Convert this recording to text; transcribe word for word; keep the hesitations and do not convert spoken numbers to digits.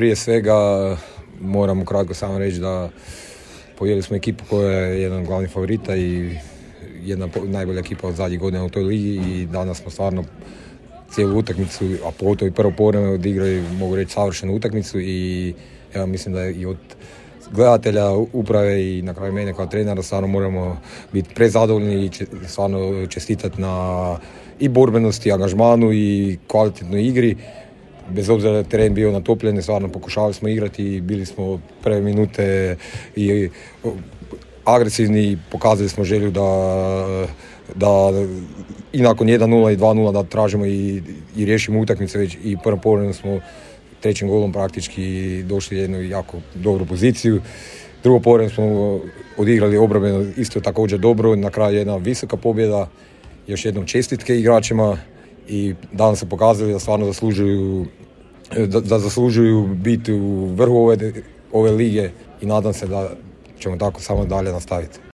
prije svega moram ukratko samo reći da podijelili smo ekipu koja je jedan od glavnih favorita i jedna najbolja ekipa od zadnjih godina u toj ligi i danas smo stvarno cijelu utakmicu, a pogotovo i prvo povreme odigrali, mogu reći, savršenu utakmicu i ja mislim da je i od gledatelja, uprave i na kraju mene kao trenera stvarno moramo biti prezadovoljni i stvarno čestitati na i borbenosti, angažmanu i kvalitetnoj igri. Bez obzira da je teren bio natopljen, stvarno pokušavali smo igrati i bili smo prve minute i agresivni i pokazali smo želju da, da i nakon jedan nula i dva nula da tražimo i, i riješimo utakmice već i prvo povremeno smo trećim golom praktički došli u jednu jako dobru poziciju. Drugo povremeno smo odigrali obrambeno isto također dobro, na kraju jedna visoka pobjeda, još jednom čestitke igračima i danas se pokazali da stvarno zaslužuju da, da zaslužuju biti u vrhu ove, ove lige i nadam se da ćemo tako samo dalje nastaviti.